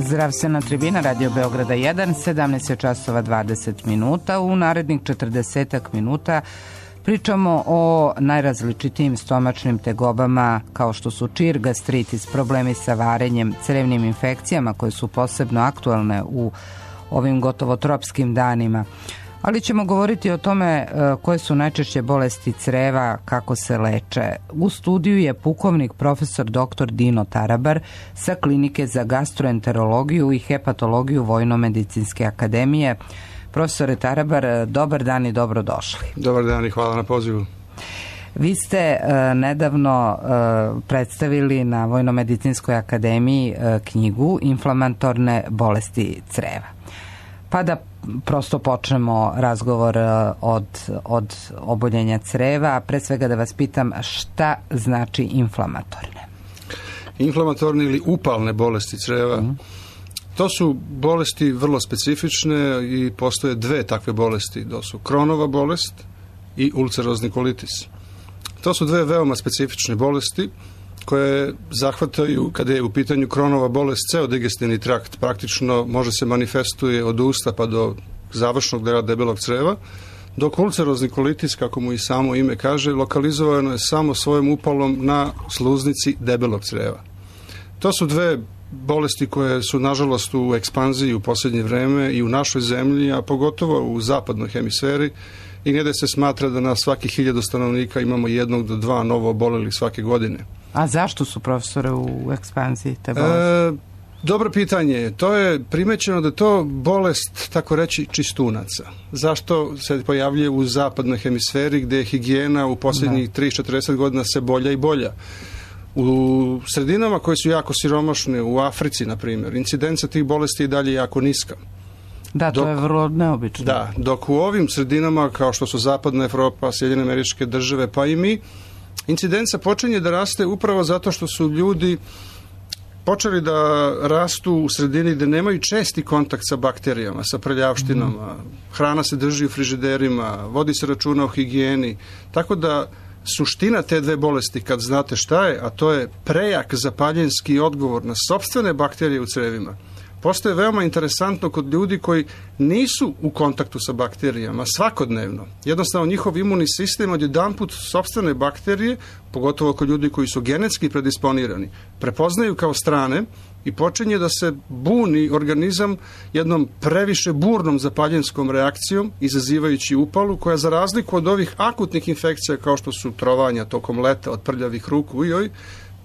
Zdravstvena tribina Radio Beograda 1, 17 časova 20 minuta. U narednih 40 minuta pričamo o najrazličitijim stomačnim tegobama kao što su čir, gastritis, problemi sa varenjem, crevnim infekcijama koje su posebno aktualne u ovim gotovo tropskim danima. Ali ćemo govoriti o tome koje su najčešće bolesti creva, kako se leče. U studiju je pukovnik profesor dr. Dino Tarabar sa Klinike za gastroenterologiju i hepatologiju Vojno-medicinske akademije. Profesore Tarabar, dobar dan i dobrodošli. Dobar dan i hvala na pozivu. Vi ste nedavno predstavili na Vojno-medicinskoj akademiji knjigu Inflamatorne bolesti creva. Pa da prosto počnemo razgovor od oboljenja creva. Pre svega da vas pitam šta znači inflamatorne? Inflamatorne ili upalne bolesti creva, to su bolesti vrlo specifične i postoje dve takve bolesti. To su Kronova bolest i ulcerozni kolitis. To su dve veoma specifične bolesti koje zahvataju, kada je u pitanju Kronova bolest, ceo digestivni trakt, praktično može se manifestuje od usta pa do završnog dela debelog creva, dok ulcerozni kolitis, kako mu i samo ime kaže, lokalizovano je samo svojom upalom na sluznici debelog creva. To su dve bolesti koje su nažalost u ekspanziji u posljednje vreme i u našoj zemlji, a pogotovo u zapadnoj hemisferi, i gdje se smatra da na svakih 1000 stanovnika imamo 1 do 2 novo obolelih svake godine. A zašto su, profesore, u ekspanziji te bolesti? Dobro pitanje. To je primećeno da je to bolest, tako reći, čistunaca. Zašto se pojavljuje u zapadnoj hemisferi gdje je higijena u posljednjih 30-40 godina se bolja i bolja? U sredinama koje su jako siromašne, u Africi, na primjer, incidenca tih bolesti je dalje jako niska. Da, to je vrlo neobično. Da, dok u ovim sredinama, kao što su Zapadna Evropa, Sjedinjene Američke Države, pa i mi, incidenca počinje da raste upravo zato što su ljudi počeli da rastu u sredini gde nemaju česti kontakt sa bakterijama, sa prljavštinama, hrana se drži u frižiderima, vodi se računa o higijeni, tako da suština te dve bolesti, kad znate šta je, a to je prejak zapaljenski odgovor na sopstvene bakterije u crevima, postoje veoma interesantno kod ljudi koji nisu u kontaktu sa bakterijama svakodnevno. Jednostavno njihov imunni sistem odjedanput sopstvene bakterije, pogotovo kod ljudi koji su genetski predisponirani, prepoznaju kao strane i počinje da se buni organizam jednom previše burnom zapaljenskom reakcijom, izazivajući upalu, koja za razliku od ovih akutnih infekcija kao što su trovanja tokom leta od prljavih ruku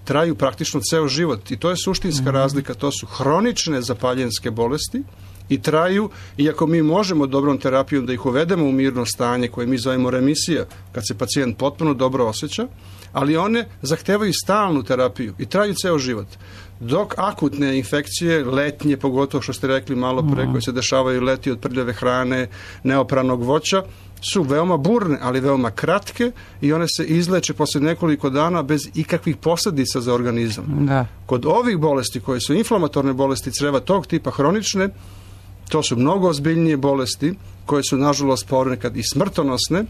traju praktično ceo život i to je suštinska razlika. To su hronične zapaljenske bolesti i traju, iako mi možemo dobrom terapijom da ih uvedemo u mirno stanje koje mi zovemo remisija, kad se pacijent potpuno dobro osjeća, ali one zahtevaju stalnu terapiju i traju ceo život. Dok akutne infekcije, letnje, pogotovo što ste rekli malo pre, koje se dešavaju leti od prljave hrane, neopranog voća, su veoma burne, ali veoma kratke i one se izleče posle nekoliko dana bez ikakvih posljedica za organizam. Da. Kod ovih bolesti koje su inflamatorne bolesti creva tog tipa hronične, to su mnogo ozbiljnije bolesti koje su nažalost ponekad i smrtonosne,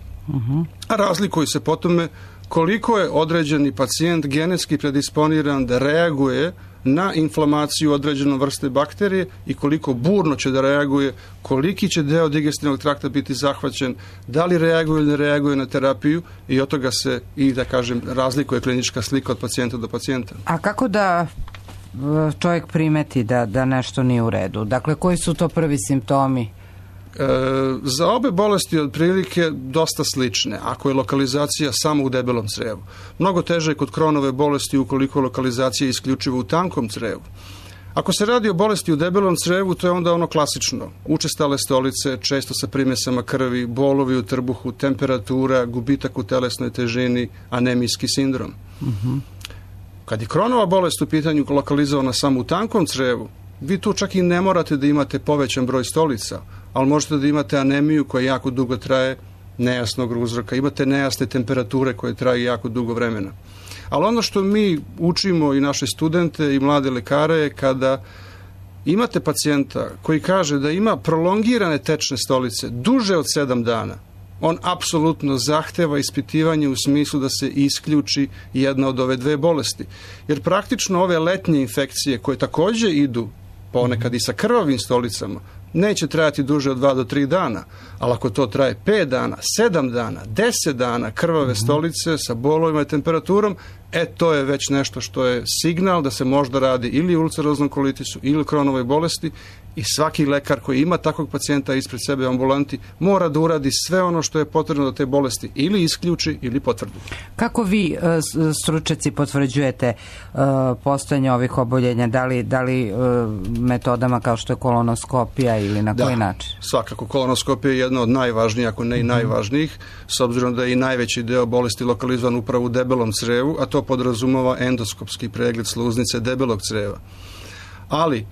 a razlikuju se po tome koliko je određeni pacijent genetski predisponiran da reaguje na inflamaciju određenom vrste bakterije i koliko burno će da reaguje, koliki će deo digestivnog trakta biti zahvaćen, da li reaguje ili ne reaguje na terapiju i od toga se i, da kažem, razlikuje klinička slika od pacijenta do pacijenta. A kako da čovjek primeti da nešto nije u redu? Dakle, koji su to prvi simptomi? Za obe bolesti otprilike dosta slične, ako je lokalizacija samo u debelom crevu. Mnogo teže je kod Kronove bolesti ukoliko lokalizacija je isključivo u tankom crevu. Ako se radi o bolesti u debelom crevu, to je onda ono klasično. Učestale stolice, često sa primesama krvi, bolovi u trbuhu, temperatura, gubitak u telesnoj težini, anemijski sindrom. Kad je Kronova bolest u pitanju lokalizovana samo u tankom crevu, vi tu čak i ne morate da imate povećan broj stolica, ali možete da imate anemiju koja jako dugo traje, nejasnog uzroka, imate nejasne temperature koje traju jako dugo vremena. Ali ono što mi učimo i naše studente i mlade lekare je kada imate pacijenta koji kaže da ima prolongirane tečne stolice duže od 7 dana, on apsolutno zahteva ispitivanje u smislu da se isključi jedna od ove dve bolesti. Jer praktično ove letnje infekcije koje također idu ponekad i sa krvavim stolicama, neće trajati duže od 2 do 3 dana, ali ako to traje 5 dana, 7 dana, 10 dana krvave stolice sa bolovima i temperaturom, to je već nešto što je signal da se možda radi ili o ulceroznom kolitisu ili Crohnovoj bolesti i svaki lekar koji ima takvog pacijenta ispred sebe u ambulanti mora da uradi sve ono što je potrebno da te bolesti ili isključi ili potvrdi. Kako vi, stručnjaci, potvrđujete postojanje ovih oboljenja? Da li metodama kao što je kolonoskopija ili na koji način? Svakako, kolonoskopija je jedna od najvažnijih, ako ne i najvažnijih, s obzirom da je i najveći deo bolesti lokalizovan upravo u debelom crevu, a to podrazumeva endoskopski pregled sluznice debelog creva. Ali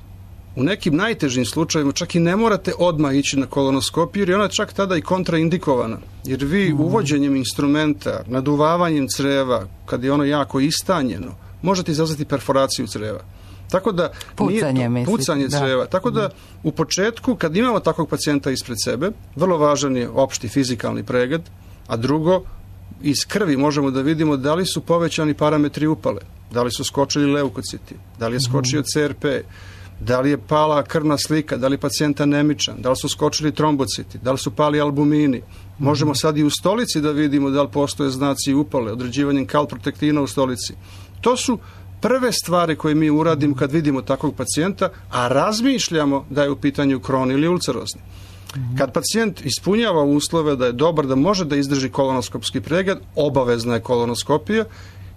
u nekim najtežim slučajevima čak i ne morate odmah ići na kolonoskopiju, jer je ona čak tada i kontraindikovana. Jer vi uvođenjem instrumenta, naduvavanjem creva, kad je ono jako istanjeno, možete izazvati perforaciju creva. Tako da pucanje creva. Tako da u početku, kad imamo takvog pacijenta ispred sebe, vrlo važan je opšti fizikalni pregled, a drugo, iz krvi možemo da vidimo da li su povećani parametri upale, da li su skočili leukociti, da li je skočio CRP, da li je pala krvna slika, da li je pacijent anemičan, da li su skočili trombociti, da li su pali albumini. Možemo sad i u stolici da vidimo da li postoje znaci upale, određivanjem kalprotektina u stolici. To su prve stvari koje mi uradimo kad vidimo takvog pacijenta, a razmišljamo da je u pitanju Crohn ili ulcerozni. Kad pacijent ispunjava uslove da je dobar, da može da izdrži kolonoskopski pregled, obavezna je kolonoskopija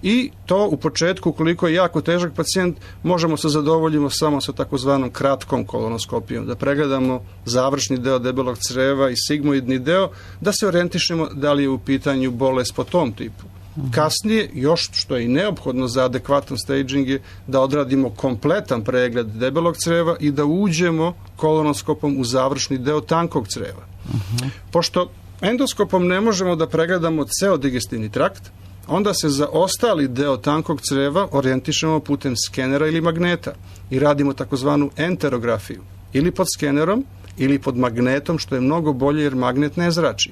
i to u početku, ukoliko je jako težak pacijent, možemo se zadovoljimo samo sa takozvanom kratkom kolonoskopijom, da pregledamo završni deo debelog creva i sigmoidni deo, da se orijentišemo da li je u pitanju bolest po tom tipu. Kasnije, još što je i neophodno za adekvatan staging je da odradimo kompletan pregled debelog creva i da uđemo kolonoskopom u završni deo tankog creva. Pošto endoskopom ne možemo da pregledamo ceo digestivni trakt, onda se za ostali deo tankog creva orijentišemo putem skenera ili magneta i radimo takozvanu enterografiju, ili pod skenerom ili pod magnetom, što je mnogo bolje jer magnet ne zrači.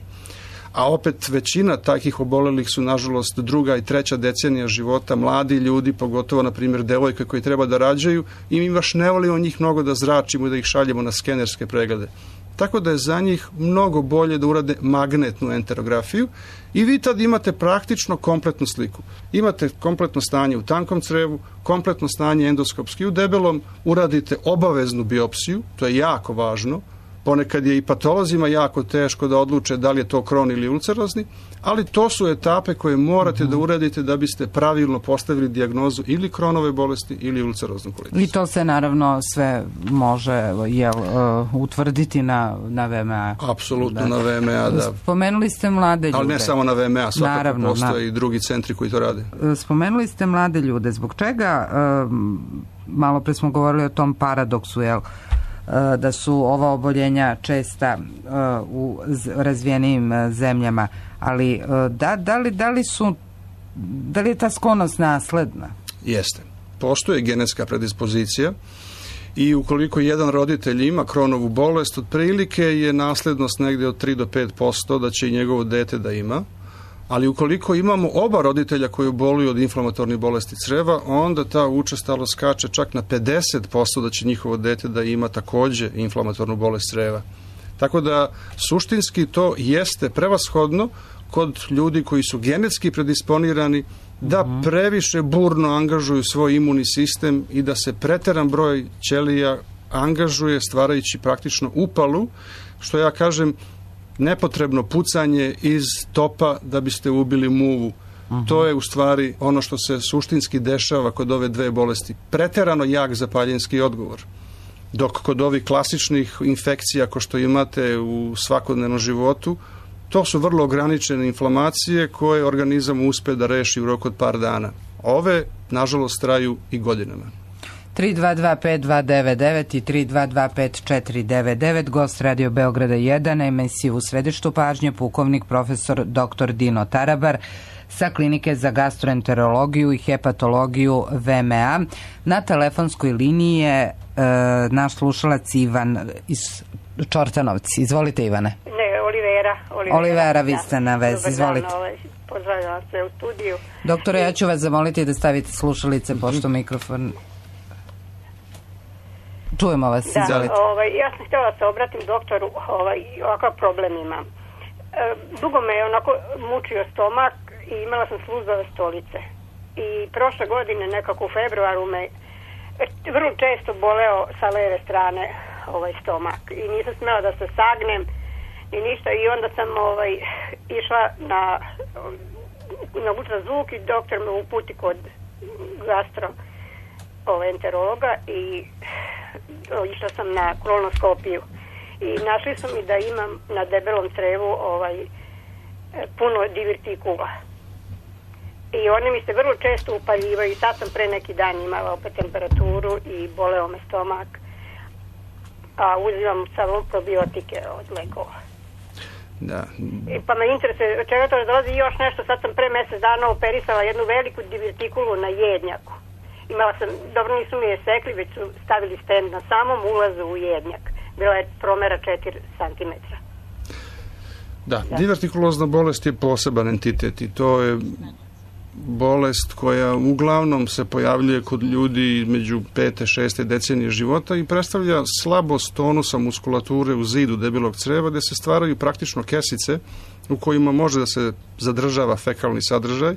A opet većina takih obolelih su nažalost 2. i 3. decenija života, mladi ljudi, pogotovo na primjer devojke koji treba da rađaju i mi baš ne volimo njih mnogo da zračimo i da ih šaljemo na skenerske preglede. Tako da je za njih mnogo bolje da urade magnetnu enterografiju i vi tad imate praktično kompletnu sliku. Imate kompletno stanje u tankom crevu, kompletno stanje endoskopski u debelom, uradite obaveznu biopsiju, to je jako važno. Ponekad je i patolozima jako teško da odluče da li je to Crohn ili ulcerozni, ali to su etape koje morate da uradite da biste pravilno postavili dijagnozu ili Crohnove bolesti ili ulceroznog kolitisa. I to se naravno sve može utvrditi na VMA. Apsolutno na VMA, da. Spomenuli ste mlade ljude. Ali ne samo na VMA, svakako postoje i drugi centri koji to rade. Spomenuli ste mlade ljude. Zbog čega, malo pre smo govorili o tom paradoksu, da su ova oboljenja česta u razvijenijim zemljama, ali da li je ta sklonost nasledna? Jeste. Postoje genetska predispozicija i ukoliko jedan roditelj ima Crohnovu bolest, otprilike je naslednost negdje od 3 do 5% da će i njegovo dete da ima. Ali ukoliko imamo oba roditelja koji boluju od inflamatornih bolesti creva, onda ta učestalost skače čak na 50% da će njihovo dete da ima takođe inflamatornu bolest creva. Tako da suštinski to jeste prevashodno kod ljudi koji su genetski predisponirani da previše burno angažuju svoj imunni sistem i da se preteran broj ćelija angažuje stvarajući praktično upalu, što ja kažem nepotrebno pucanje iz topa da biste ubili muvu. To je u stvari ono što se suštinski dešava kod ove dve bolesti. Preterano jak zapaljenski odgovor. Dok kod ovih klasičnih infekcija ko što imate u svakodnevnom životu, to su vrlo ograničene inflamacije koje organizam uspe da reši u roku od par dana. Ove, nažalost, traju i godinama. 3225299 i 3225499, gost Radio Beograda 1, na emisiju U središtu pažnje pukovnik profesor dr. Dino Tarabar sa klinike za gastroenterologiju i hepatologiju VMA. Na telefonskoj liniji je naš slušalac Ivan iz Čortanovci. Izvolite, Ivane. Ne, Olivera, vi ste na vezi. Izvolite. Pozdravljam se u studiju. Doktore, ja ću vas zamoliti da stavite slušalice, pošto mikrofon... Čujemo vas, izvolite. Ja sam htjela da se obratim doktoru, ovakav problem imam. Dugo me je onako mučio stomak i imala sam sluzave stolice. I prošle godine, nekako u februaru, me vrlo često boleo sa leve strane stomak. I nisam smjela da se sagnem ni ništa. I onda sam išla na ultrazvuk i doktor me uputi kod gastroenterologa i išla sam na kolonoskopiju. I našli su mi da imam na debelom crevu puno divertikula. I one mi se vrlo često upaljivaju. Sad sam pre neki dan imala opet temperaturu i boleo me stomak. A uzimam samo probiotike od lekova. Da. Pa me interesuje, čega to dolazi još nešto. Sad sam pre mjesec dana operisala jednu veliku divertikulu na jednjaku. Imala sam, dobro nisu mi je sekli, već su stavili stent na samom ulazu u jednjak. Bila je promjera 4 cm. Da, divertikulozna bolest je poseban entitet i to je bolest koja uglavnom se pojavljuje kod ljudi među 5. 6. decenije života i predstavlja slabost tonusa muskulature u zidu debelog creva gdje se stvaraju praktično kesice u kojima može da se zadržava fekalni sadržaj.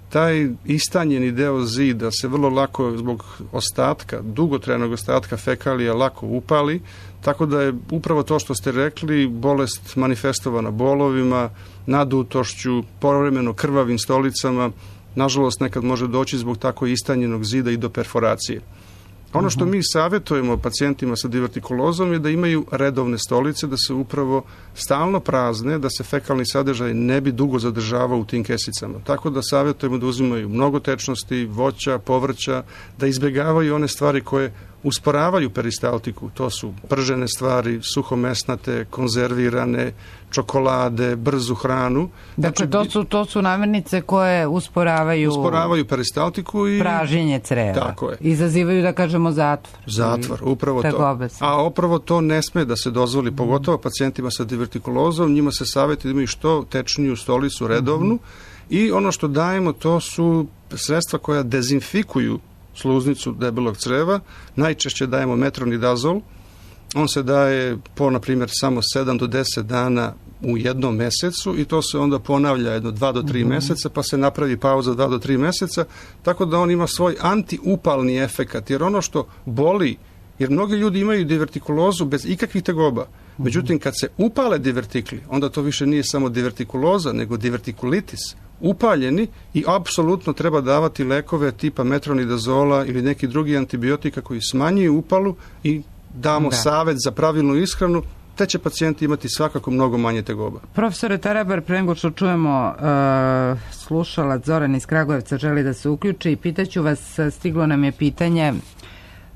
Taj istanjeni deo zida se vrlo lako zbog ostatka, dugotrajnog ostatka fekalija lako upali, tako da je upravo to što ste rekli bolest manifestovana bolovima, nadutošću, povremeno krvavim stolicama, nažalost nekad može doći zbog tako istanjenog zida i do perforacije. Ono što mi savjetujemo pacijentima sa divertikulozom je da imaju redovne stolice, da se upravo stalno prazne, da se fekalni sadržaj ne bi dugo zadržavao u tim kesicama. Tako da savjetujemo da uzimaju mnogo tečnosti, voća, povrća, da izbjegavaju one stvari koje usporavaju peristaltiku. To su pržene stvari, suhomesnate, konzervirane, čokolade, brzu hranu. Dakle, to su namirnice koje usporavaju peristaltiku i pražnjenje creva. Tako je. Izazivaju, da kažemo, zatvor, upravo to. A upravo to ne sme da se dozvoli, pogotovo pacijentima sa divertikulozom, njima se savjeti da imaju što tečniju stolicu redovnu i ono što dajemo to su sredstva koja dezinfikuju sluznicu debelog creva. Najčešće dajemo metronidazol. On se daje po, na primjer, samo 7 do 10 dana u jednom mjesecu i to se onda ponavlja jedno 2 do 3 mjeseca, pa se napravi pauza 2 do 3 mjeseca, tako da on ima svoj antiupalni efekat, jer ono što boli, jer mnogi ljudi imaju divertikulozu bez ikakvih tegoba, međutim kad se upale divertikli, onda to više nije samo divertikuloza, nego divertikulitis, upaljeni i apsolutno treba davati lekove tipa metronidazola ili neki drugi antibiotika koji smanjuju upalu i damo savjet za pravilnu ishranu, te će pacijenti imati svakako mnogo manje tegoba. Profesore Tarabar, pre nego što čujemo slušalac Zoran iz Kragujevca želi da se uključi i pitaću vas, stiglo nam je pitanje,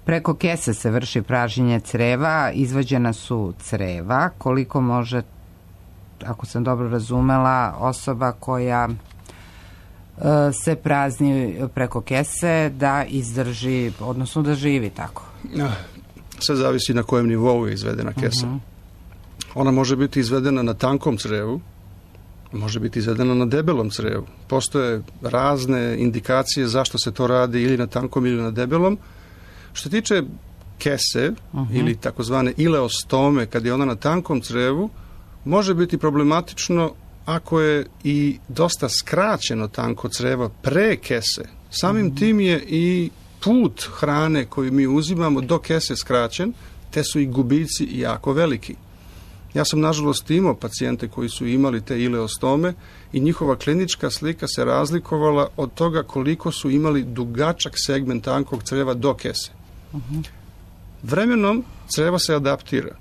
preko kese se vrši pražnjenje creva, izvađena su creva, koliko može, ako sam dobro razumela, osoba koja se prazni preko kese da izdrži, odnosno da živi tako? Sve zavisi na kojem nivou je izvedena kesa. Ona može biti izvedena na tankom crevu, može biti izvedena na debelom crevu. Postoje razne indikacije zašto se to radi ili na tankom ili na debelom. Što tiče kese ili takozvane ileostome, kad je ona na tankom crevu, može biti problematično ako je i dosta skraćeno tanko creva pre kese. Samim tim je i put hrane koju mi uzimamo do kese skraćen, te su i gubici jako veliki. Ja sam nažalost imao pacijente koji su imali te ileostome i njihova klinička slika se razlikovala od toga koliko su imali dugačak segment tankog creva do kese. Vremenom creva se adaptira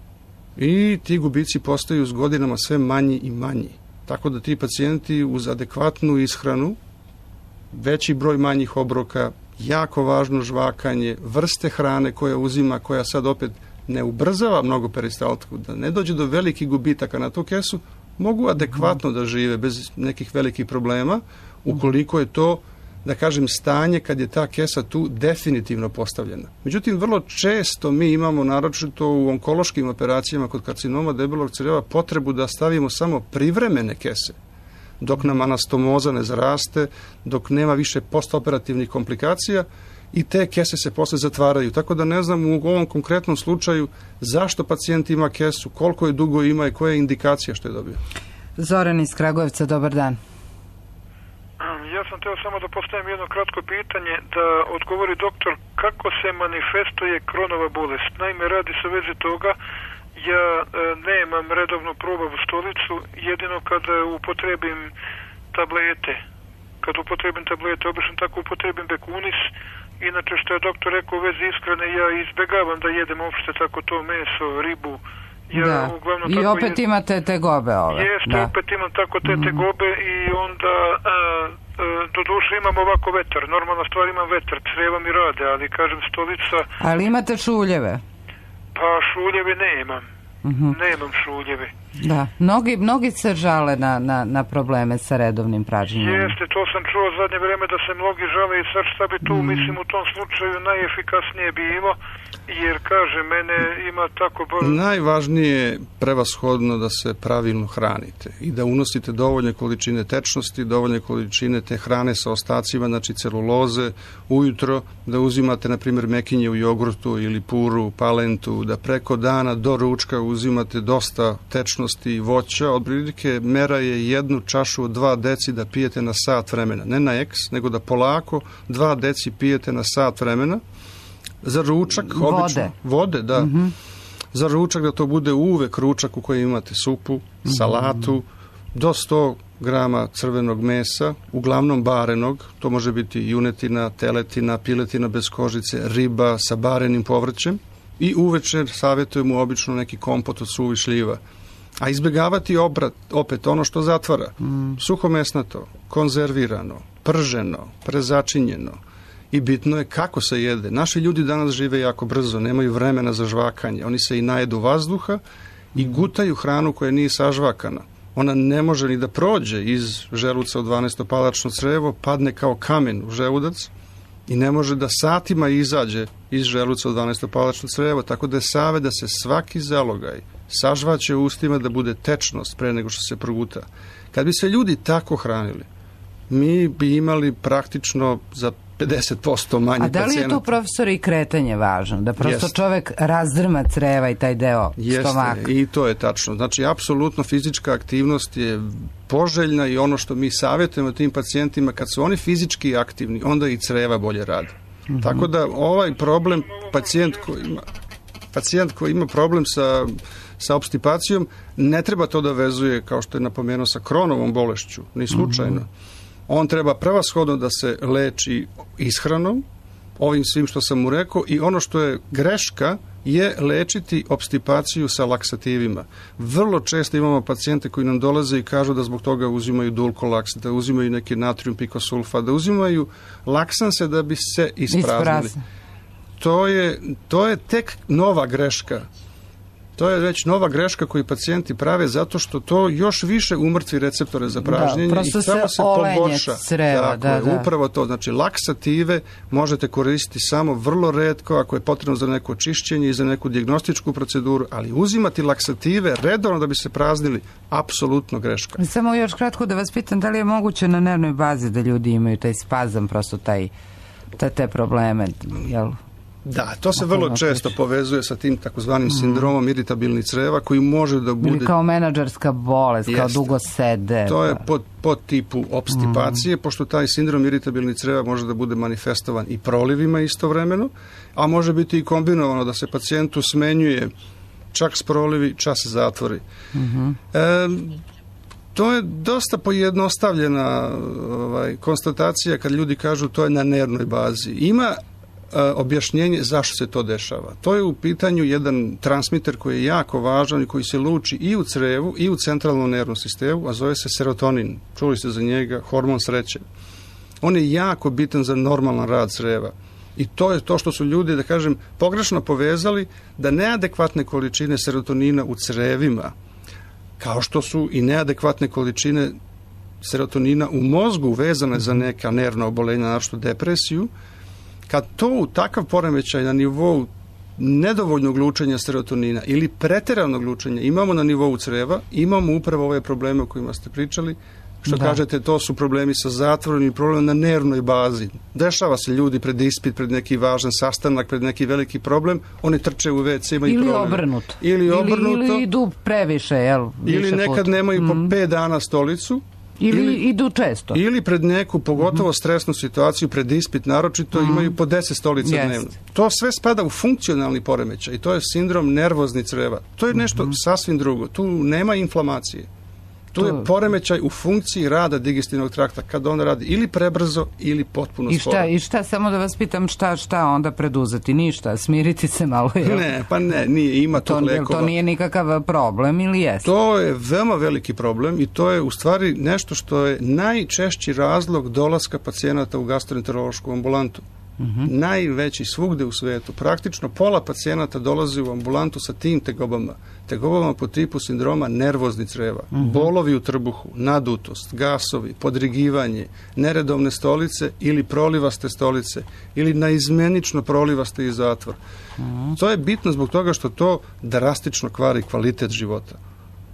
i ti gubici postaju s godinama sve manji i manji. Tako da ti pacijenti uz adekvatnu ishranu, veći broj manjih obroka, jako važno žvakanje, vrste hrane koja uzima, koja sad opet ne ubrzava mnogo peristaltiku, da ne dođe do velikih gubitaka na tu kesu, mogu adekvatno da žive bez nekih velikih problema, ukoliko je to, da kažem, stanje kad je ta kesa tu definitivno postavljena. Međutim, vrlo često mi imamo, naročito u onkološkim operacijama kod karcinoma debelog creva, potrebu da stavimo samo privremene kese, dok nam anastomoza ne zaraste, dok nema više postoperativnih komplikacija i te kese se posle zatvaraju. Tako da ne znam u ovom konkretnom slučaju zašto pacijent ima kesu, koliko je dugo ima i koja je indikacija što je dobio. Zoran iz Kragujevca, dobar dan. Ja sam teo samo da postavim jedno kratko pitanje, da odgovori doktor kako se manifestuje Kronova bolest. Naime, radi se u vezi toga, ja nemam redovnu probavu stolicu, jedino kada upotrebim tablete. Kad upotrebim tablete, obično tako upotrebim Bekunis. Inače, što je doktor rekao u vezi ishrane, ja izbegavam da jedem uopšte tako to meso, ribu. Ja, uglavnom, i opet imate tegobe ove. Jeste, opet imam tako te tegobe i onda do duše imam ovako vetar. Normalna stvar, imam vetar, creva mi rade, ali kažem stolica... Ali imate šuljeve? Pa šuljeve nemam. Nemam šuljeve. Da, mnogi se žale na probleme sa redovnim pražnjenjem. Jeste, to sam čuo zadnje vreme da se mnogi žale i sad šta bi tu, mislim, u tom slučaju najefikasnije bilo, jer kaže, mene ima tako... Najvažnije je prevashodno da se pravilno hranite i da unosite dovoljne količine tečnosti, dovoljne količine te hrane sa ostacima, znači celuloze, ujutro, da uzimate, na primjer, mekinje u jogurtu ili puru, palentu, da preko dana do ručka uzimate dosta tečnosti i voća. Otprilike mera je 1 čašu od 2 deci da pijete na sat vremena. Ne na eks, nego da polako 2 deci pijete na sat vremena. Za ručak, obično, vode, da. Za ručak da to bude uvek ručak u kojem imate supu, salatu, do 100 grama crvenog mesa, uglavnom barenog, to može biti junetina, teletina, piletina bez kožice, riba sa barenim povrćem i uvečer savjetujemo obično neki kompot od suvih šljiva. A izbjegavati opet ono što zatvara. Suhomesnato, konzervirano, prženo, prezačinjeno. I bitno je kako se jede. Naši ljudi danas žive jako brzo, nemaju vremena za žvakanje. Oni se i najedu vazduha i gutaju hranu koja nije sažvakana. Ona ne može ni da prođe iz želuca u 12-palačno crevo, padne kao kamen u želudac i ne može da satima izađe iz želuca u 12-palačno crevo, tako da je savjet da se svaki zalogaj sažvaće u ustima, da bude tečnost pre nego što se proguta. Kad bi se ljudi tako hranili, mi bi imali praktično za 50% manje pacijenata. A da li je tu, profesor, i kretanje važno? Da prosto čovek razdrma creva i taj deo stomaka? Jeste, i to je tačno. Znači, apsolutno fizička aktivnost je poželjna i ono što mi savjetujemo tim pacijentima, kad su oni fizički aktivni, onda i creva bolje rade. Tako da ovaj problem, pacijent koji ima problem sa opstipacijom, ne treba to da vezuje, kao što je napomenuo, sa Kronovom bolešću, ni slučajno. On treba prevashodno da se leči ishranom, ovim svim što sam mu rekao, i ono što je greška je lečiti opstipaciju sa laksativima. Vrlo često imamo pacijente koji nam dolaze i kažu da zbog toga uzimaju dulkolaks, da uzimaju neki natrium pikosulfat, da uzimaju laksanse da bi se ispraznili. To je tek nova greška. To je već nova greška koju pacijenti prave zato što to još više umrtvi receptore za pražnjenje i samo se pogorša. Upravo to. Znači, laksative možete koristiti samo vrlo retko ako je potrebno za neko čišćenje i za neku dijagnostičku proceduru, ali uzimati laksative redovno da bi se praznili, apsolutno greška. Samo još kratko da vas pitam, da li je moguće na nervnoj bazi da ljudi imaju taj spazam, prosto te probleme, jel? Da, to se vrlo često povezuje sa tim takozvanim sindromom iritabilnih creva koji može da bude... Ili kao menadžerska bolest, kao dugo sede. To je pod tipu opstipacije, pošto taj sindrom iritabilnih creva može da bude manifestovan i prolivima istovremeno, a može biti i kombinovano da se pacijentu smenjuje čak s prolivi, čas zatvori. To je dosta pojednostavljena konstatacija kad ljudi kažu to je na nervnoj bazi. Ima objašnjenje zašto se to dešava. To je u pitanju jedan transmiter koji je jako važan i koji se luči i u crevu i u centralnom nervnom sistemu, a zove se serotonin. Čuli ste za njega, hormon sreće. On je jako bitan za normalan rad creva. I to je to što su ljudi, da kažem, pogrešno povezali da neadekvatne količine serotonina u crevima, kao što su i neadekvatne količine serotonina u mozgu vezane za neka nervna obolenja, naročito depresiju, kad to u takav poremećaj na nivou nedovoljnog lučenja serotonina ili pretjeranog lučenja imamo na nivou creva, imamo upravo ove probleme o kojima ste pričali, što kažete, to su problemi sa zatvorom i problem na nervnoj bazi. Dešava se ljudi pred ispit, pred neki važan sastanak, pred neki veliki problem, oni trče u WC, imaju problem. Ili obrnuto. Ili idu previše, jel? Ili nekad nemaju po 5 dana stolicu. Ili idu često. Ili pred neku, pogotovo stresnu situaciju, pred ispit naročito, imaju po 10 stolica dnevno. To sve spada u funkcionalni poremećaj i to je sindrom nervozni creva. To je nešto sasvim drugo. Tu nema inflamacije. Tu je poremećaj u funkciji rada digestivnog trakta, kada on radi ili prebrzo ili potpuno sporo. I šta, samo da vas pitam, šta onda preduzeti? Ništa, smiriti se malo. Nije, ima tog lekova. To nije nikakav problem ili jeste? To je veoma veliki problem i to je u stvari nešto što je najčešći razlog dolaska pacijenata u gastroenterološku ambulantu. Najveći svugde u svetu. Praktično pola pacijenata dolazi u ambulantu sa tim tegobama po tipu sindroma nervozni creva, bolovi u trbuhu, nadutost, gasovi, podrigivanje, neredovne stolice ili prolivaste stolice ili naizmenično prolivaste i zatvor. To je bitno zbog toga što to drastično kvari kvalitet života.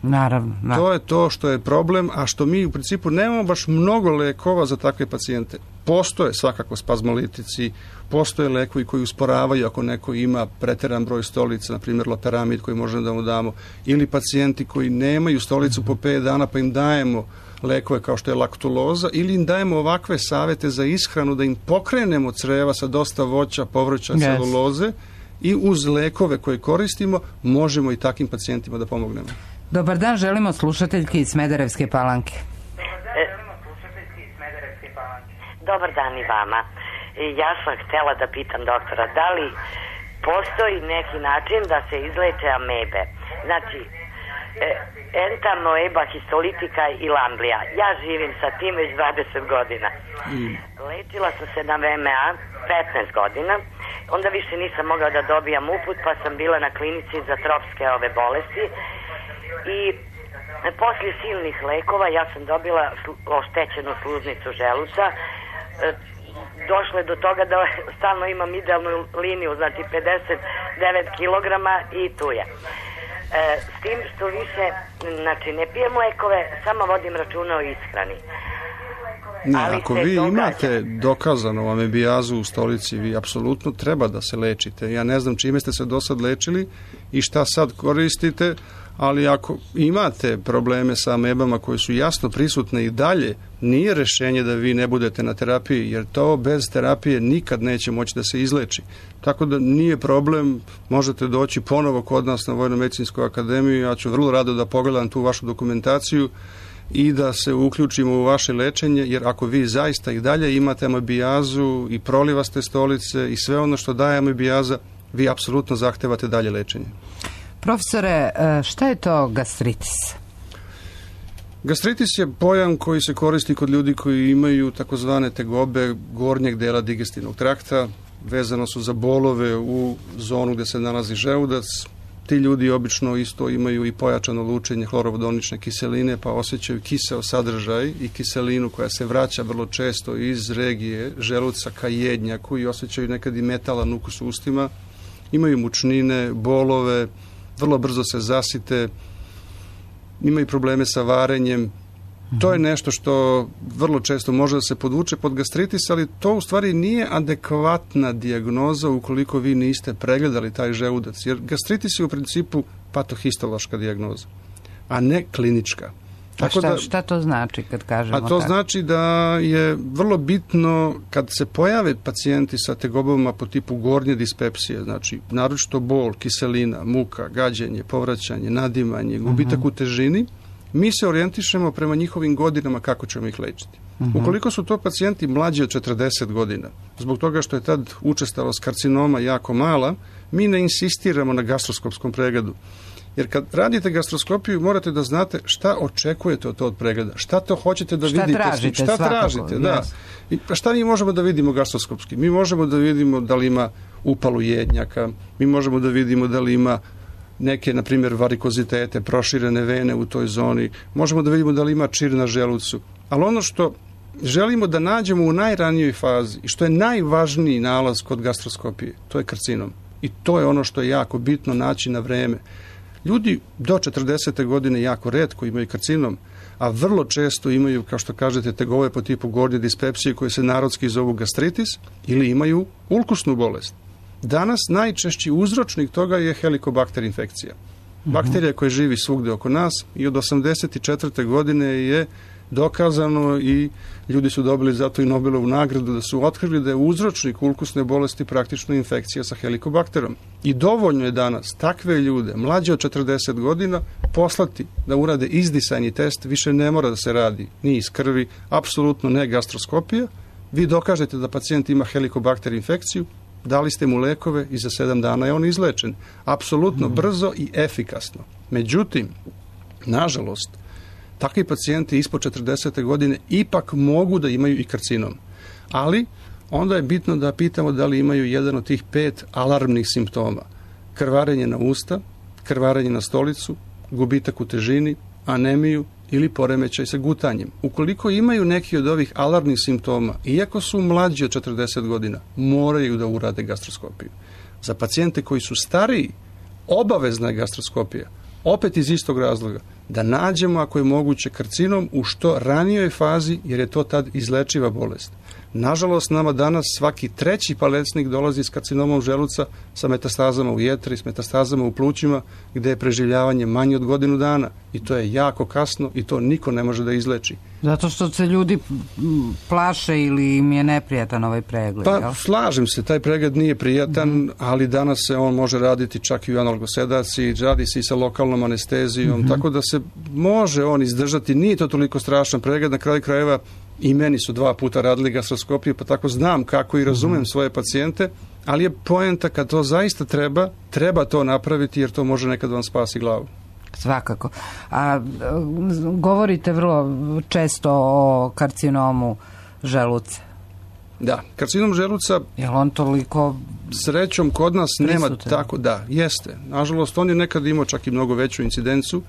Naravno. To je to što je problem, a što mi u principu nemamo baš mnogo lekova za takve pacijente. Postoje svakako spazmolitici, postoje lekovi koji usporavaju ako neko ima preteran broj stolica, na primjer loperamid koji možemo da mu damo, ili pacijenti koji nemaju stolicu po 5 dana pa im dajemo lekove kao što je laktuloza, ili im dajemo ovakve savete za ishranu da im pokrenemo creva sa dosta voća, povrća, celuloze i uz lekove koje koristimo možemo i takvim pacijentima da pomognemo. Dobar dan, želimo slušateljki iz Smederevske Palanke. Dobar dan i vama. Ja sam htjela da pitam doktora, da li postoji neki način da se izleče amebe? Znači, entamoeba, histolitika i lamblija. Ja živim sa tim već 20 godina. Lečila sam se na VMA 15 godina, onda više nisam mogla da dobijam uput, pa sam bila na klinici za tropske bolesti i poslije silnih lekova ja sam dobila oštećenu sluznicu želuca. Došlo je do toga da stalno imam idealnu liniju, znači 59 kilograma i tu je. S tim što više, znači ne pijem lekove, samo vodim računa o ishrani. Ako vi imate dokazano amebijazu u stolici, vi apsolutno treba da se lečite. Ja ne znam čime ste se do sad lečili i šta sad koristite, ali ako imate probleme sa amebama koje su jasno prisutne i dalje, nije rešenje da vi ne budete na terapiji, jer to bez terapije nikad neće moći da se izleči. Tako da nije problem, možete doći ponovo kod nas na Vojno-medicinsku akademiju, ja ću vrlo rado da pogledam tu vašu dokumentaciju i da se uključimo u vaše lečenje, jer ako vi zaista i dalje imate amebijazu i prolivaste stolice i sve ono što daje amebijaza, vi apsolutno zahtevate dalje lečenje. Profesore, šta je to gastritis? Gastritis je pojam koji se koristi kod ljudi koji imaju takozvane tegobe gornjeg dela digestivnog trakta, vezano su za bolove u zonu gdje se nalazi želudac. Ti ljudi obično isto imaju i pojačano lučenje hlorovodonične kiseline, pa osjećaju kiseo sadržaj i kiselinu koja se vraća vrlo često iz regije želuca ka jednjaku i osjećaju nekad i metalan ukus u ustima. Imaju mučnine, bolove, vrlo brzo se zasite, imaju probleme sa varenjem. To je nešto što vrlo često može da se podvuče pod gastritis, ali to u stvari nije adekvatna dijagnoza ukoliko vi niste pregledali taj želudac, jer gastritis je u principu patohistološka dijagnoza, a ne klinička. Šta to znači kad kažemo tako? A to znači da je vrlo bitno kad se pojave pacijenti sa tegobama po tipu gornje dispepsije, znači naročito bol, kiselina, muka, gađenje, povraćanje, nadimanje, gubitak u težini, mi se orijentišemo prema njihovim godinama kako ćemo ih lečiti. Ukoliko su to pacijenti mlađi od 40 godina, zbog toga što je tad učestalost karcinoma jako mala, mi ne insistiramo na gastroskopskom pregledu. Jer kad radite gastroskopiju morate da znate šta očekujete od tog pregleda, šta to hoćete da vidite, šta tražite, da. I šta mi možemo da vidimo gastroskopski? Mi možemo da vidimo da li ima upalu jednjaka, mi možemo da vidimo da li ima neke, na primjer, varikozitete, proširene vene u toj zoni, možemo da vidimo da li ima čir na želucu. Ali ono što želimo da nađemo u najranijoj fazi i što je najvažniji nalaz kod gastroskopije, to je karcinom. I to je ono što je jako bitno naći na vreme. Ljudi do 40. godine jako retko imaju karcinom, a vrlo često imaju, kao što kažete, tegove po tipu gornje dispepsije koje se narodski zovu gastritis ili imaju ulkusnu bolest. Danas najčešći uzročnik toga je helikobakter infekcija. Bakterija koja živi svugde oko nas i od 84. godine je dokazano i ljudi su dobili zato i Nobelovu nagradu da su otkrili da je uzročnik ulkusne bolesti praktično infekcija sa helikobakterom. I dovoljno je danas takve ljude, mlađe od 40 godina, poslati da urade izdisajni test, više ne mora da se radi ni iz krvi, apsolutno ne gastroskopija. Vi dokažete da pacijent ima helikobakter infekciju, dali ste mu lekove i za 7 dana je on izlečen. Apsolutno brzo i efikasno. Međutim, nažalost, takvi pacijenti ispod 40. godine ipak mogu da imaju i karcinom. Ali onda je bitno da pitamo da li imaju jedan od tih 5 alarmnih simptoma. Krvarenje na usta, krvarenje na stolicu, gubitak u težini, anemiju ili poremećaj sa gutanjem. Ukoliko imaju neki od ovih alarmnih simptoma, iako su mlađi od 40 godina, moraju da urade gastroskopiju. Za pacijente koji su stariji, obavezna je gastroskopija. Opet iz istog razloga, da nađemo ako je moguće karcinom u što ranijoj fazi, jer je to tad izlečiva bolest. Nažalost, nama danas svaki 3. palecnik dolazi s karcinomom želuca sa metastazama u jetri, s metastazama u plućima, gde je preživljavanje manje od godinu dana. I to je jako kasno i to niko ne može da izleči. Zato što se ljudi plaše ili im je neprijatan ovaj pregled? Pa, slažem se, taj pregled nije prijatan, ali danas se on može raditi čak i u analgosedaciji, radi se i sa lokalnom anestezijom, tako da se može on izdržati. Nije to toliko strašan pregled, na kraju krajeva i meni su 2 puta radili gastroskopiju, pa tako znam kako i razumem svoje pacijente, ali je poenta kad to zaista treba to napraviti, jer to može nekad vam spasi glavu. Svakako. A govorite vrlo često o karcinomu želuca. Da, karcinom želuca... Je li on toliko... Srećom, kod nas prisutan? Nema tako, da, jeste. Nažalost, on je nekad imao čak i mnogo veću incidencu.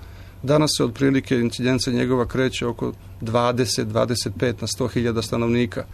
Danas se otprilike incidenca njegova kreće oko 20-25 na 100.000 stanovnika.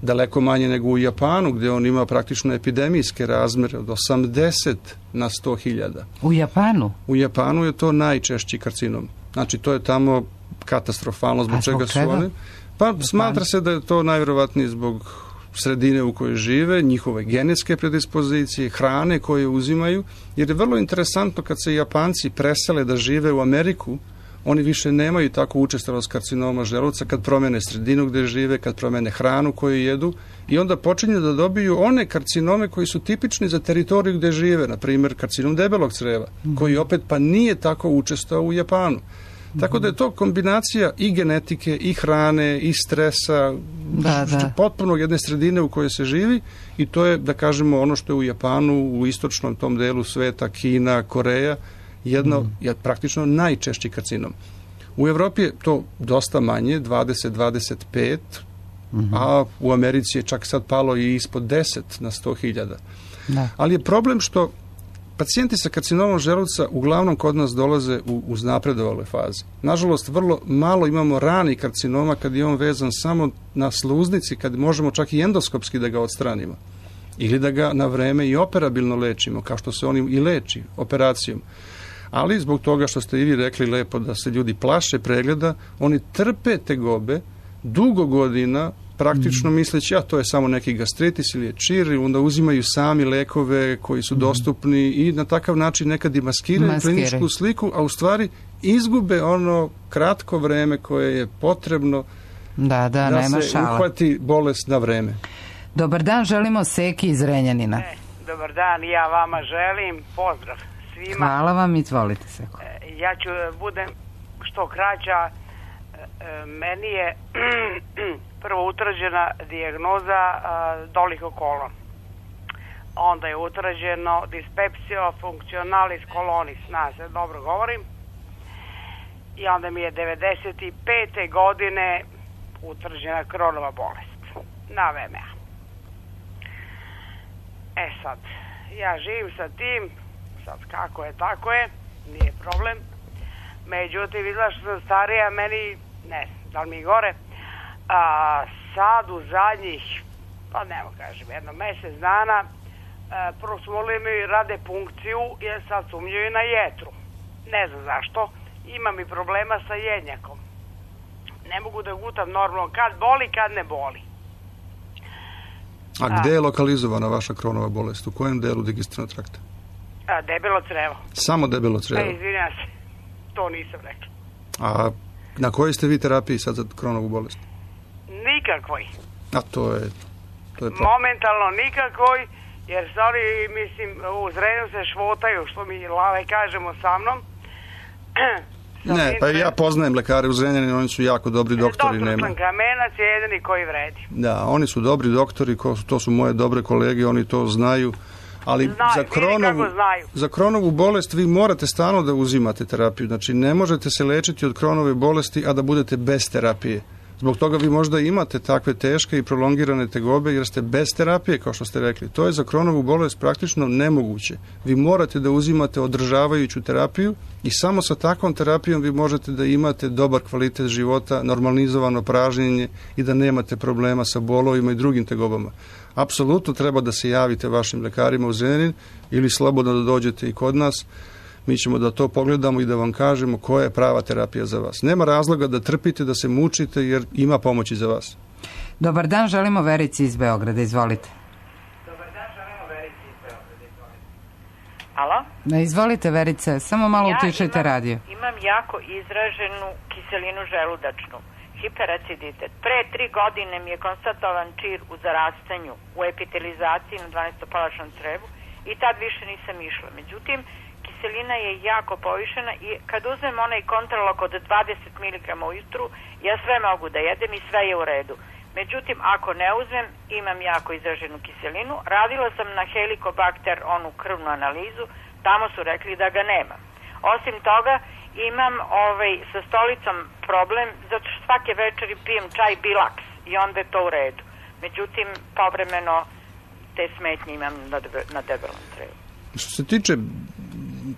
Daleko manje nego u Japanu, gdje on ima praktično epidemijske razmere od 80 na 100.000. U Japanu? U Japanu je to najčešći karcinom. Znači, to je tamo katastrofalno, zbog čega su oni. Pa smatra se da je to najvjerovatnije zbog sredine u kojoj žive, njihove genetske predispozicije, hrane koje uzimaju, jer je vrlo interesantno kad se Japanci presele da žive u Ameriku, oni više nemaju tako učestalost karcinoma želuca kad promene sredinu gde žive, kad promene hranu koju jedu i onda počinju da dobiju one karcinome koji su tipični za teritoriju gde žive, na primjer karcinom debelog creva, koji opet pa nije tako učestao u Japanu. Tako da je to kombinacija i genetike, i hrane, i stresa, potpuno jedne sredine u kojoj se živi i to je, da kažemo, ono što je u Japanu, u istočnom tom delu sveta, Kina, Koreja, je praktično najčešći karcinom. U Evropi je to dosta manje, 20-25, a u Americi je čak sad palo i ispod 10 na 100.000. Ali je problem što pacijenti sa karcinomom želuca uglavnom kod nas dolaze u uznapredovale faze. Nažalost, vrlo malo imamo rani karcinoma kad je on vezan samo na sluznici, kad možemo čak i endoskopski da ga odstranimo. Ili da ga na vreme i operabilno lečimo, kao što se on i leči operacijom. Ali zbog toga što ste i vi rekli lepo da se ljudi plaše pregleda, oni trpe tegobe dugo godina, praktično misleći, to je samo neki gastritis ili je čir, onda uzimaju sami lekove koji su dostupni i na takav način nekad i maskiraju kliničku sliku, a u stvari izgube ono kratko vreme koje je potrebno da se uhvati bolest na vreme. Dobar dan, želimo Seki iz Renjanina. Dobar dan, ja vama želim pozdrav svima. Hvala vam, izvolite Seko. Ja ću budem što kraća. Meni je prvo utvrđena dijagnoza doliho kolon. Onda je utvrđeno dyspepsio functionalis colonis, se dobro govorim. I onda mi je 95. godine utvrđena Kronova bolest na VMA. Sad, ja živim sa tim, sad kako je, tako je, nije problem. Međutim, izgleda što sam starija, meni, ne znam, da li mi gore, sad u zadnjih, pa nemo kažem, jedno mjesec dana, prvo su molili mi rade punkciju, jer sad sumnjaju na jetru. ne znam zašto, imam i problema sa jednjakom. Ne mogu da gutam normalno, kad boli, kad ne boli. A gde je lokalizovana vaša Kronova bolest? U kojem delu digestivnog trakta? Debelo crevo. Samo debelo crevo? Izvinjam se, to nisam rekla. A na kojoj ste vi terapiji sad za Kronovu bolest? Nikakvoj. A to je momentalno nikakvoj, jer stvari, mislim, u Zrenju se švotaju, što mi lave kažemo sa mnom. Ne, pa ja poznajem lekare u Zrenjaninu, oni su jako dobri doktori. Doktor Kamenac je jedini koji vredi. Da, oni su dobri doktori, to su moje dobre kolege, oni to znaju. Ali za Kronovu bolest vi morate stalno da uzimate terapiju. Znači, ne možete se lečiti od Kronove bolesti, a da budete bez terapije. Zbog toga vi možda imate takve teške i prolongirane tegobe jer ste bez terapije, kao što ste rekli. To je za Kronovu bolest praktično nemoguće. Vi morate da uzimate održavajuću terapiju i samo sa takvom terapijom vi možete da imate dobar kvalitet života, normalizovano pražnjenje i da nemate problema sa bolovima i drugim tegobama. Apsolutno treba da se javite vašim lekarima u Zrenjanin ili slobodno da dođete i kod nas. Mi ćemo da to pogledamo i da vam kažemo koja je prava terapija za vas. Nema razloga da trpite, da se mučite, jer ima pomoći za vas. Dobar dan, želimo Verici iz Beograda. Izvolite. Alo? Izvolite, Verice, samo malo utišajte radio. Imam jako izraženu kiselinu želudačnu, hiperaciditet. Pre 3 godine mi je konstatovan čir u zarastanju, u epitelizaciji na 12-palačnom crevu i tad više nisam išla. Međutim, kiselina je jako povišena i kad uzmem onaj kontrolok od 20 mg ujutru, ja sve mogu da jedem i sve je u redu. Međutim, ako ne uzmem, imam jako izraženu kiselinu. Radila sam na Helicobacter, onu krvnu analizu, tamo su rekli da ga nema. Osim toga, imam sa stolicom problem, zato što svake večeri pijem čaj Bilaks i onda je to u redu. Međutim, povremeno te smetnje imam na debelom crevu. Što se tiče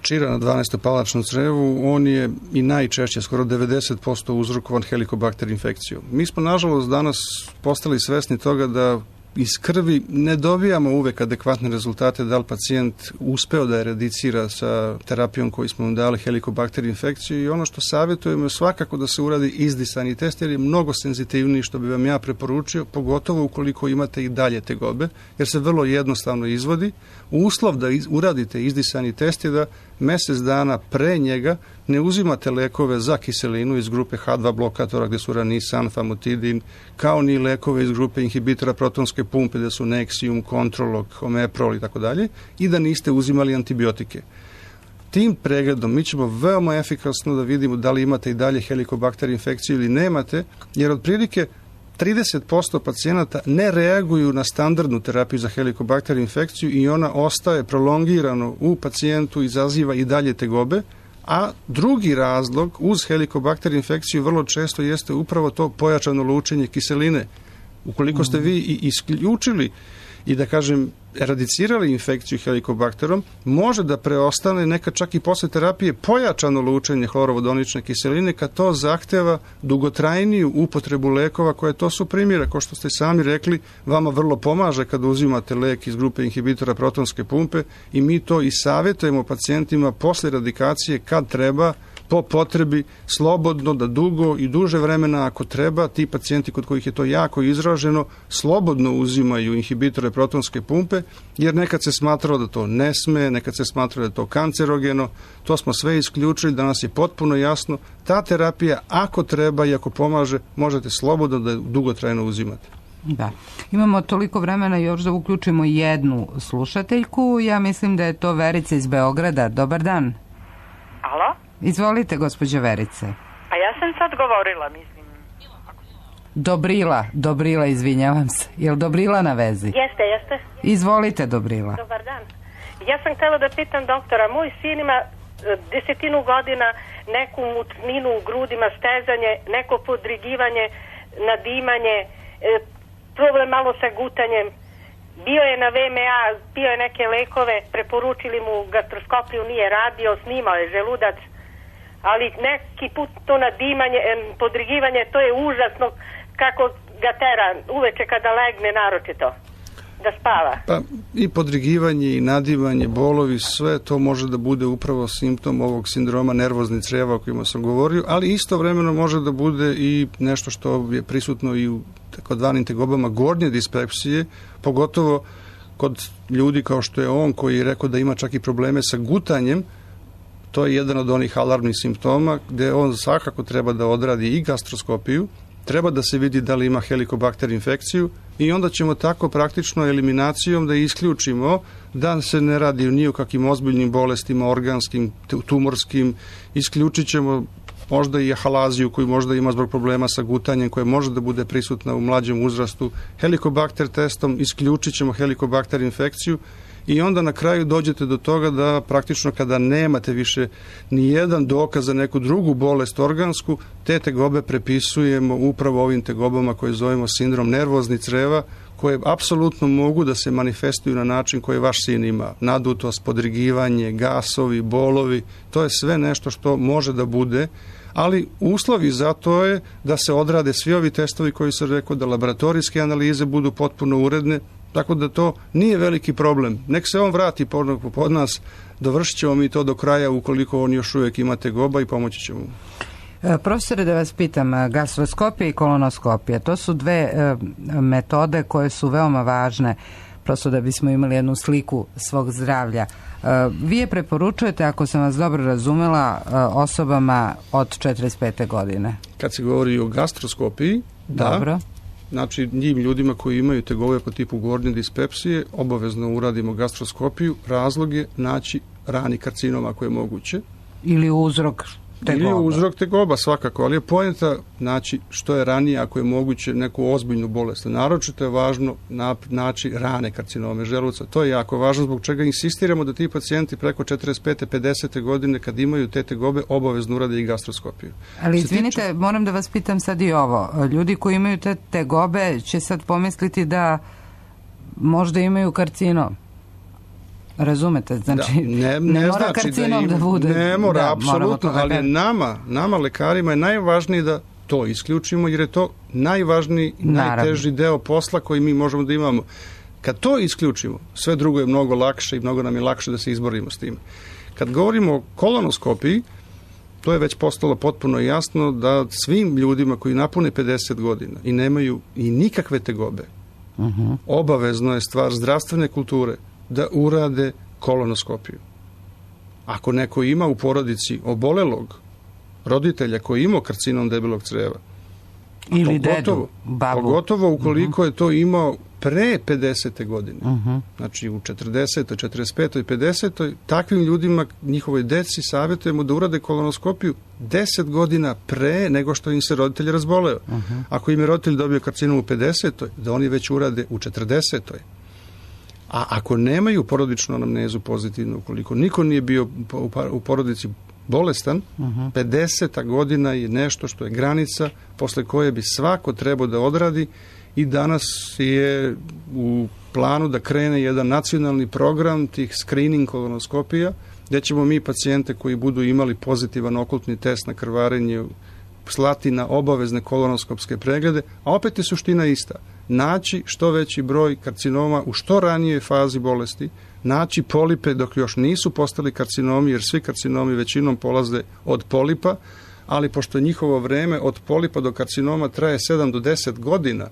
čira na 12-palačnom crevu, on je i najčešće, skoro 90% uzrokovan Helicobacter infekcijom. Mi smo, nažalost, danas postali svesni toga da iz krvi ne dobijamo uvek adekvatne rezultate da li pacijent uspeo da eradicira sa terapijom koju smo mu dali Helicobacter infekciju i ono što savjetujemo je svakako da se uradi izdisani test jer je mnogo senzitivniji što bi vam ja preporučio, pogotovo ukoliko imate i dalje tegobe, jer se vrlo jednostavno izvodi. Uslov da uradite izdisani test je da mesec dana pre njega ne uzimate lekove za kiselinu iz grupe H2 blokatora gde su ranisan, famotidin, kao ni lekove iz grupe inhibitora protonske pumpe gde su Nexium, Controlog, Omeprol i tako dalje i da niste uzimali antibiotike. Tim pregledom mi ćemo veoma efikasno da vidimo da li imate i dalje Helicobacter infekciju ili nemate, jer otprilike 30% pacijenata ne reaguju na standardnu terapiju za Helicobacter infekciju i ona ostaje prolongirano u pacijentu, izaziva i dalje tegobe, a drugi razlog uz Helicobacter infekciju vrlo često jeste upravo to pojačano lučenje kiseline. Ukoliko ste vi i isključili i da kažem eradicirali infekciju Helicobacterom, može da preostane nekad čak i posle terapije pojačano lučenje hlorovodonične kiseline kad to zahteva dugotrajniju upotrebu lekova koje to su primjere. Kao što ste sami rekli, vama vrlo pomaže kad uzimate lek iz grupe inhibitora protonske pumpe i mi to i savjetujemo pacijentima posle radikacije kad treba po potrebi slobodno da dugo i duže vremena ako treba, ti pacijenti kod kojih je to jako izraženo slobodno uzimaju inhibitore protonske pumpe jer nekad se smatralo da to ne sme, nekad se smatralo da je to kancerogeno, to smo sve isključili, danas je potpuno jasno, ta terapija ako treba i ako pomaže možete slobodno da dugotrajno uzimate. Da. Imamo toliko vremena još da uključimo jednu slušateljku, ja mislim da je to Verica iz Beograda. Dobar dan. Alo? Izvolite, gospođo Verice. A ja sam sad govorila, mislim. Dobrila, izvinjavam se. Je li Dobrila na vezi? Jeste. Izvolite, Dobrila. Dobar dan. Ja sam htjela da pitam doktora, moj sin ima 10 godina, neku mutninu u grudima, stezanje, neko podrigivanje, nadimanje, problem malo sa gutanjem. Bio je na VMA, pio je neke lekove, preporučili mu gastroskopiju, nije radio, snimao je želudac, ali neki put to nadimanje, podrigivanje, to je užasno kako ga tera uveče kada legne naročito. da spava? Pa i podrigivanje i nadivanje, bolovi, sve to može da bude upravo simptom ovog sindroma nervoznih crijeva o kojima sam govorio, ali istovremeno može da bude i nešto što je prisutno i u takozvanim tegobama gornje dispepsije, pogotovo kod ljudi kao što je on koji je rekao da ima čak i probleme sa gutanjem. To je jedan od onih alarmnih simptoma gde on svakako treba da odradi i gastroskopiju, treba da se vidi da li ima helikobakter infekciju i onda ćemo tako praktično eliminacijom da isključimo da se ne radi ni o kakvim ozbiljnim bolestima, organskim, tumorskim, isključit ćemo možda i ahalaziju koju možda ima zbog problema sa gutanjem koja može da bude prisutna u mlađem uzrastu. Helikobakter testom isključit ćemo helikobakter infekciju i onda na kraju dođete do toga da praktično kada nemate više ni jedan dokaz za neku drugu bolest organsku, te tegobe prepisujemo upravo ovim tegobama koje zovemo sindrom nervoznih creva, koje apsolutno mogu da se manifestuju na način koji vaš sin ima. Nadutost, podrigivanje, gasovi, bolovi, to je sve nešto što može da bude, ali uslovi za to je da se odrade svi ovi testovi koji sam rekao, da laboratorijske analize budu potpuno uredne, tako da to nije veliki problem. Nek se on vrati pod nas, dovršit ćemo mi to do kraja ukoliko on još uvijek ima tegoba i pomoći ćemo mu. Profesore, da vas pitam, gastroskopija i kolonoskopija, to su dve metode koje su veoma važne, prosto da bismo imali jednu sliku svog zdravlja. Vi je preporučujete, ako sam vas dobro razumela, osobama od 45. godine. Kad se govori o gastroskopiji, dobro. Da. Znači, njim ljudima koji imaju tegobe po tipu gornje dispepsije, obavezno uradimo gastroskopiju. Razlog je naći rani karcinom ako je moguće. Ili uzrok tegoba. Ili uzrok tegoba, svakako, ali je poenta naći što je ranije ako je moguće neku ozbiljnu bolest. Naročito je važno naći rane karcinome želuca. To je jako važno, zbog čega insistiramo da ti pacijenti preko 45. 50. godine kad imaju te tegobe obavezno urade i gastroskopiju. Ali izvinite, moram da vas pitam sad i ovo. Ljudi koji imaju te tegobe će sad pomisliti da možda imaju karcinom. Razumete? Znači, ne mora znači karcinom da bude. Ne mora, apsolutno, ali nama lekarima je najvažnije da to isključimo, jer je to najvažniji, najteži deo posla koji mi možemo da imamo. Kad to isključimo, sve drugo je mnogo lakše i mnogo nam je lakše da se izborimo s tim. Kad govorimo o kolonoskopiji, to je već postalo potpuno jasno da svim ljudima koji napune 50 godina i nemaju i nikakve tegobe, obavezno je stvar zdravstvene kulture da urade kolonoskopiju. Ako neko ima u porodici obolelog roditelja koji ima karcinom debelog creva, ili dedu, babu, pogotovo ukoliko je to imao pre 50. godine, znači u 40. 45. 50. takvim ljudima, njihovoj deci savjetujemo da urade kolonoskopiju 10 godina pre nego što im se roditelj razboleo. Ako im je roditelj dobio karcinom u 50. da oni već urade u 40. A ako nemaju porodičnu anamnezu pozitivnu, ukoliko niko nije bio u porodici bolestan, 50. godina je nešto što je granica posle koje bi svako trebao da odradi i danas je u planu da krene jedan nacionalni program tih screening kolonoskopija, gdje ćemo mi pacijente koji budu imali pozitivan okultni test na krvarenje slati na obavezne kolonoskopske preglede, a opet je suština ista. Naći što veći broj karcinoma u što ranijoj fazi bolesti, naći polipe dok još nisu postali karcinomi, jer svi karcinomi većinom polaze od polipa, ali pošto njihovo vreme od polipa do karcinoma traje 7 do 10 godina,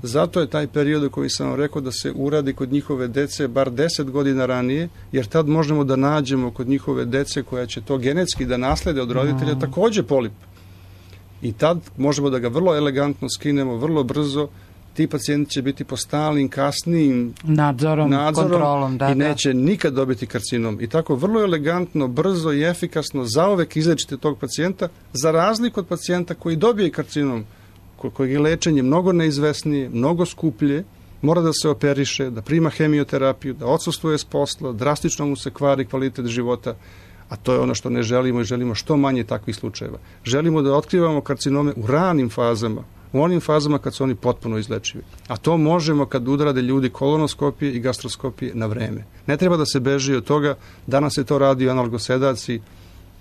zato je taj period koji sam vam rekao da se uradi kod njihove dece bar 10 godina ranije, jer tad možemo da nađemo kod njihove dece koja će to genetski da naslede od roditelja također polip. I tad možemo da ga vrlo elegantno skinemo, vrlo brzo. Ti pacijenti će biti po stalnim, kasnijim nadzorom kontrolom, i neće nikad dobiti karcinom. I tako vrlo elegantno, brzo i efikasno zauvek izlečite tog pacijenta, za razliku od pacijenta koji dobije karcinom, kojeg je lečenje mnogo neizvesnije, mnogo skuplje, mora da se operiše, da prima hemioterapiju, da odsustuje s posla, drastično mu se kvari kvalitet života, a to je ono što ne želimo i želimo što manje takvih slučajeva. Želimo da otkrivamo karcinome u ranim fazama, u onim fazama kad su oni potpuno izlečivi. A to možemo kad udrade ljudi kolonoskopije i gastroskopije na vreme. Ne treba da se beži od toga, danas se to radi analgosedaci,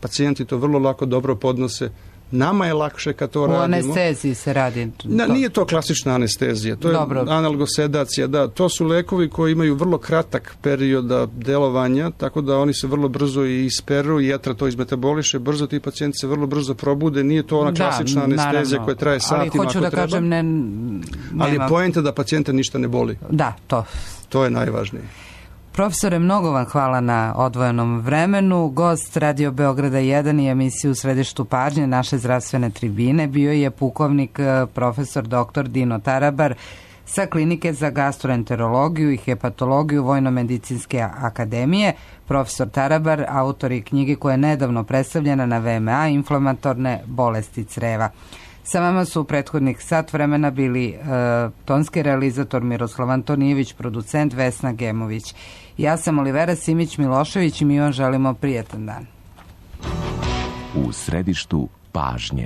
pacijenti to vrlo lako dobro podnose, Nama je lakše kad to radimo. U anesteziji se radi. Nije to klasična anestezija, to je analgosedacija, da, to su lekovi koji imaju vrlo kratak perioda delovanja, tako da oni se vrlo brzo i isperu i jetra to izmetaboliše, brzo ti pacijenti se vrlo brzo probude, nije to ona klasična anestezija koja traje satima ako treba. Ali hoću da kažem, ali je poenta da pacijenta ništa ne boli. Da, to je najvažnije. Profesore, mnogo vam hvala na odvojenom vremenu. Gost Radio Beograda 1 i emisiju U središtu pažnje naše zdravstvene tribine bio je pukovnik profesor dr. Dino Tarabar sa Klinike za gastroenterologiju i hepatologiju Vojno-medicinske akademije. Profesor Tarabar, autor i knjige koja je nedavno predstavljena na VMA, inflamatorne bolesti creva. Sa vama su u prethodnih sat vremena bili tonski realizator Miroslav Antonijević, producent Vesna Gemović. Ja sam Olivera Simić-Milošević i mi vam želimo prijatan dan. U središtu pažnje.